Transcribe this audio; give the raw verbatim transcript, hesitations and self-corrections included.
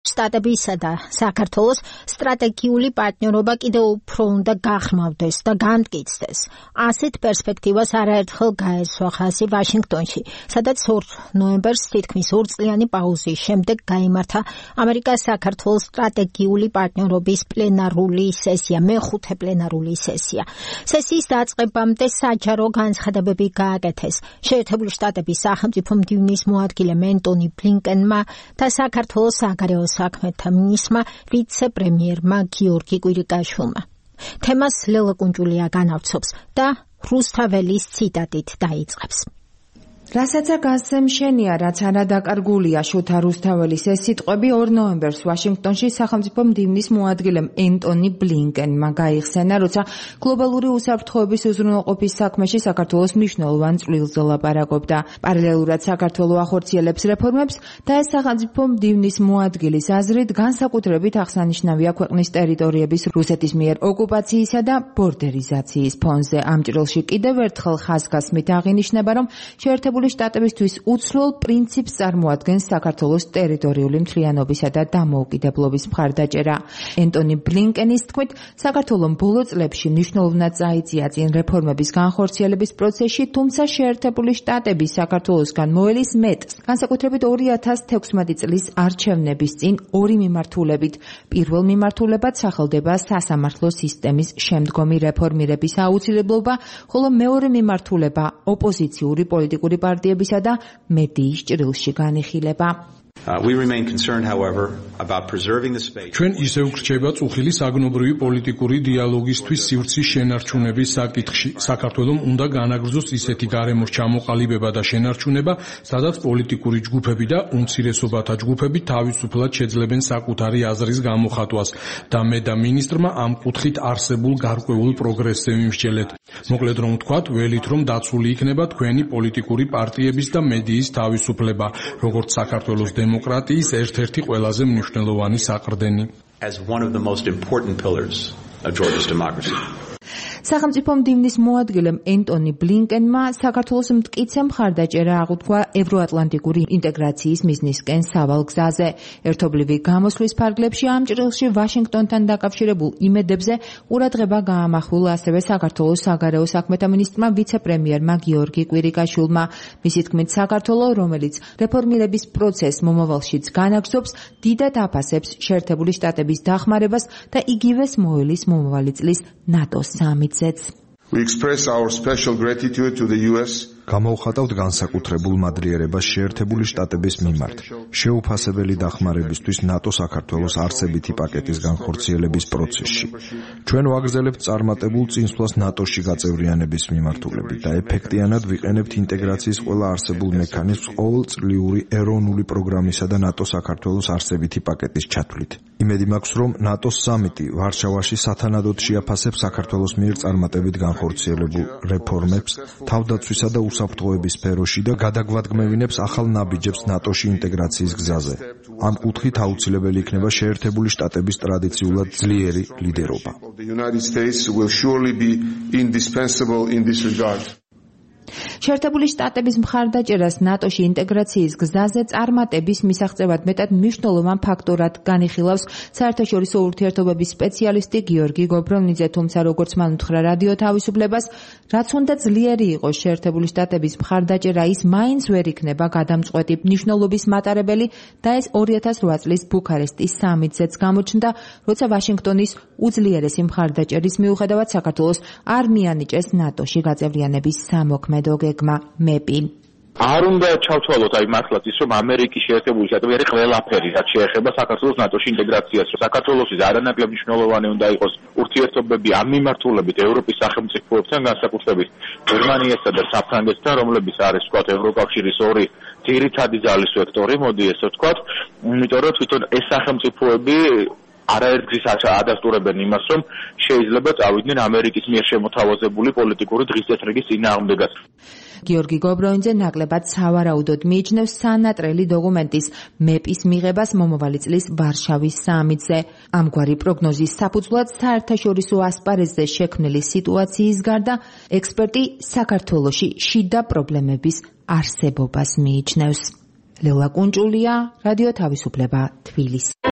შტატებისა და საქართველოს სტრატეგიული პარტნიორობა კიდევ უფრო უნდა გაღრმავდეს და განმტკიცდეს. ასეთ პერსპექტივას არაერთხელ გაესვა ხაზი ვაშინგტონში, სადაც ორ ნოემბერს თითქმის ორწლიანი პაუზის შემდეგ გაიმართა ამერიკა-საქართველოს სტრატეგიული პარტნიორობის პლენარული სესია, მეხუთე პლენარული სესია. სესიის დაწყებამდე საჯარო განცხადებები გააკეთეს შეერთებული შტატების სახელმწიფო მდივნის მოადგილემ ენტონი ბლინკენმა და საქართველოს საგარეო საქმეთა მინისტრმა ვიცე-პრემიერმა გიორგი კვირიკაშვილმა. თემას ლელა კუნჭულია განავრცობს და რუსთაველის ციტატით დაიწყებს. რასაც გასცე მშენია, რაც არადაკარგულია შოთა რუსთაველის ეს სიტყვები ორ ნოემბერს ვაშინგტონში სახელმწიფო მდივნის მოადგილემ ენტონი ბლინკენმა გაიხსენა, როცა გლობალური უსაფრთხოების უზრუნველყოფის საქმეში საქართველოს მნიშვნელოვან წვლილზე ლაპარაკობდა. პარალელურად საქართველო ახორციელებს რეფორმებს და ეს სახელმწიფო მდივნის მოადგილის აზრით განსაკუთრებით აღსანიშნავია ქვეყნის ტერიტორიების რუსეთის მიერ ოკუპაციისა და ბორდერიზაციის ფონზე. ამ ჭრილში კიდევ ერთხელ ხაზგასმით აღინიშნება, რომ შეერთებული შტატებისთვის უცვლელ პრინციპს წარმოადგენს საქართველოს ტერიტორიული მთლიანობისა და დამოუკიდებლობის მხარდაჭერა. ენტონი ბლინკენის თქმით, საქართველომ ბოლო წლებში მნიშვნელოვნად წაიწია წინ რეფორმების განხორციელების პროცესში, თუმცა შეერთებული შტატები საქართველოსგან მოელის მეტს, განსაკუთრებით ორი ათას თექვსმეტი წლის არჩევნების წინ ორი მიმართულებით. პირველ მიმართულებად სახელდება სასამართლო სისტემის შემდგომი რეფორმირების აუცილებლობა, ხოლო მეორე მიმართულება ოპოზიციური პოლიტიკური პარტიებისა და მედიის ჭრილში განიხილება. ჩვენ ისევ გრჩება წუხილი საგნობრივი პოლიტიკური დიალოგისთვის სივრცის შენარჩუნების საკითხში. საქართველომ უნდა განაგრძოს ისეთი გარემოს ჩამოყალიბება და შენარჩუნება, სადაც პოლიტიკური ჯგუფები და უმცირესობათა ჯგუფები თავისუფლად შეძლებენ საკუთარი აზრის გამოხატვას და მე და მინისტრმა ამ კუთხით არსებულ გარკვეულ პროგრესზე ვიმსჯელეთ. მოკლედ რომ ვთქვათ, ველით რომ დაცული იქნება თქვენი პოლიტიკური პარტიების და მედიის თავისუფლება, როგორც საქართველოს დემოკრატიის ერთ-ერთი ყველაზე მნიშვნელოვანი საყრდენი. სახელმწიფო მდივნის მოადგილემ ენტონი ბლინკენმა საქართველოს მტკიცე მხარდაჭერა აღუთქვა ევროატლანტიკური ინტეგრაციის მიზნისკენ სავალ გზაზე. ერთობლივი გამოსვლის ფარგლებში ამ ჭრილში ვაშინგტონთან დაკავშირებულ იმედებზე ყურადღება გაამახვილა ასევე საქართველოს საგარეო საქმეთა მინისტრმა ვიცე-პრემიერმა გიორგი კვირიკაშვილმა. მისი თქმით, საქართველო, რომელიც რეფორმირების პროცესს მომავალშიც განაგრძობს, დიდად აფასებს შეერთებული შტატების დახმარებას და იგივეს მოელის მომავალი წლის ნატოს სამიტზეც. We express our special gratitude to the U S გამოვხატავთ განსაკუთრებულ მადლიერებას შეერთებული შტატების მიმართ შეუფასებელი დახმარებისთვის ნატო საქართველოს არსებითი პაკეტის განხორციელების პროცესში. ჩვენ ვაგრძელებთ წარმატებულ წინსვლას ნატოში გაწევრიანების მიმართულებით და ეფექტიანად ვიყენებთ ინტეგრაციის ყველა არსებულ მექანიზმს ყოველწლიური ეროვნული პროგრამისა და ნატო საქართველოს არსებითი პაკეტის ჩათვლით. იმედი მაქვს, რომ ნატოს სამიტი ვარშავაში სათანადოდ შეაფასებს საქართველოს მიერ წარმატებით განხორციელებულ რეფორმებს, თავდაცვისა და უსაფრთხოების სფეროში და გადაგვადგმევინებს ახალ ნაბიჯებს ნატოში ინტეგრაციის გზაზე. ამ კუთხით აუცილებელი იქნება შეერთებული შტატების ტრადიციულად ძლიერი ლიდერობა. შეერთებული შტატების მხარდაჭერას ნატოში ინტეგრაციის გზაზე წარმატების მისაღწევად მეტად მნიშვნელოვან ფაქტორად განიხილავს საერთაშორისო ურთიერთობების სპეციალისტი გიორგი გობრონიძე, თუმცა როგორც მან უთხრა რადიო თავისუფლებას, რაც უნდა ძლიერი იყოს შეერთებული შტატების მხარდაჭერა, ის მაინც ვერ იქნება გადამწყვეტი მნიშვნელობის მატარებელი და ეს ორი ათას ოთხ წლის ბუქარესტის სამიტზეც გამოჩნდა, როცა ვაშინგტონის უძლიერესი მხარდაჭერის მიუხედავად საქართველოს არ მიანიჭეს ნატოში გაწევრიანების სამოქმედო გეგმა მეპი. არ უნდა ჩავთვალოთ აი მართლაც ის, რომ ამერიკის შეერთებული შტატები არის ყველაფერი, რაც შეეხება საქართველოს ნატოში ინტეგრაციას. საქართველოსთვის არანაკლებ მნიშვნელოვანი უნდა იყოს ურთიერთობები ამ მიმართულებით ევროპის სახელმწიფოებთან, განსაკუთრებით გერმანიასა და საფრანგეთთან, რომლებიც არის ვთქვათ ევროკავშირის ორი ძირითადი ძალის ვექტორი, მოდი ესე ვთქვათ, იმიტომ რომ თვითონ ეს სახელმწიფოები არაერთგზის ადასტურებენ იმას, რომ შეიძლება წავიდნენ ამერიკის მიერ შემოთავაზებული პოლიტიკური დღისწესრიგის წინააღმდეგად. გიორგი გობრონიძე ნაკლებად სავარაუდოდ მიიჩნევს სანატრელი დოკუმენტის მეპის მიღებას მომავალი წლის ვარშავის სამიტზე. ამგვარი პროგნოზის საფუძვლად საერთაშორისო ასპარეზზე შექმნილი სიტუაციის გარდა ექსპერტი საქართველოში შიდა პრობლემების არსებობას მიიჩნევს. ლელა კუნჭულია, რადიო თავისუფლება, თბილისი.